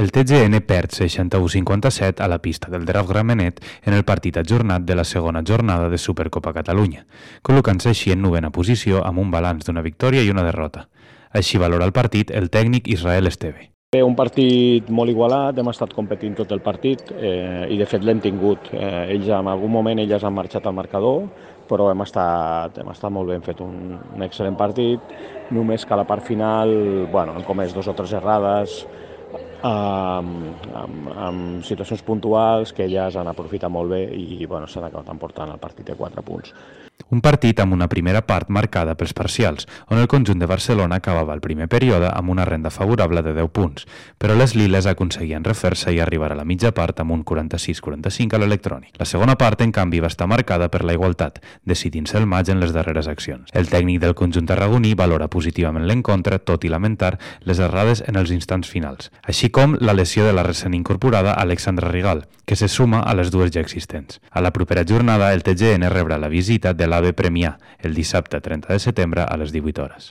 El TGN perd 61-57 a la pista del Draft Gramenet en el partit ajornat de la segona jornada de Supercopa Catalunya, col·locant-se així en 9a posició amb un balanç d'una victòria i una derrota. Així valora el partit el tècnic Israel Esteve. Un partit molt igualat, hem estat competint tot el partit i de fet l'hem tingut. En algun moment elles han marxat al marcador, però hem estat molt ben fet, un excel·lent partit, només que a la part final hem comès 2 o 3 errades, amb situacions puntuals que elles han aprofitat molt bé i s'han acabat emportant el partit de 4 punts. Un partit amb una primera part marcada pels parcials, on el conjunt de Barcelona acabava el primer període amb una renda favorable de 10 punts, però les liles aconseguien refer-se i arribar a la mitja part amb un 46-45 a l'electrònic. La segona part, en canvi, va estar marcada per la igualtat, decidint-se el maig en les darreres accions. El tècnic del conjunt tarragoní valora positivament l'encontre, tot i lamentar les errades en els instants finals, així com la lesió de la recent incorporada Alexandra Rigal, que se suma a les 2 ja existents. A la propera jornada, el TGN rebrà la visita de l'AVE Premià el dissabte 30 de setembre a les 18 hores.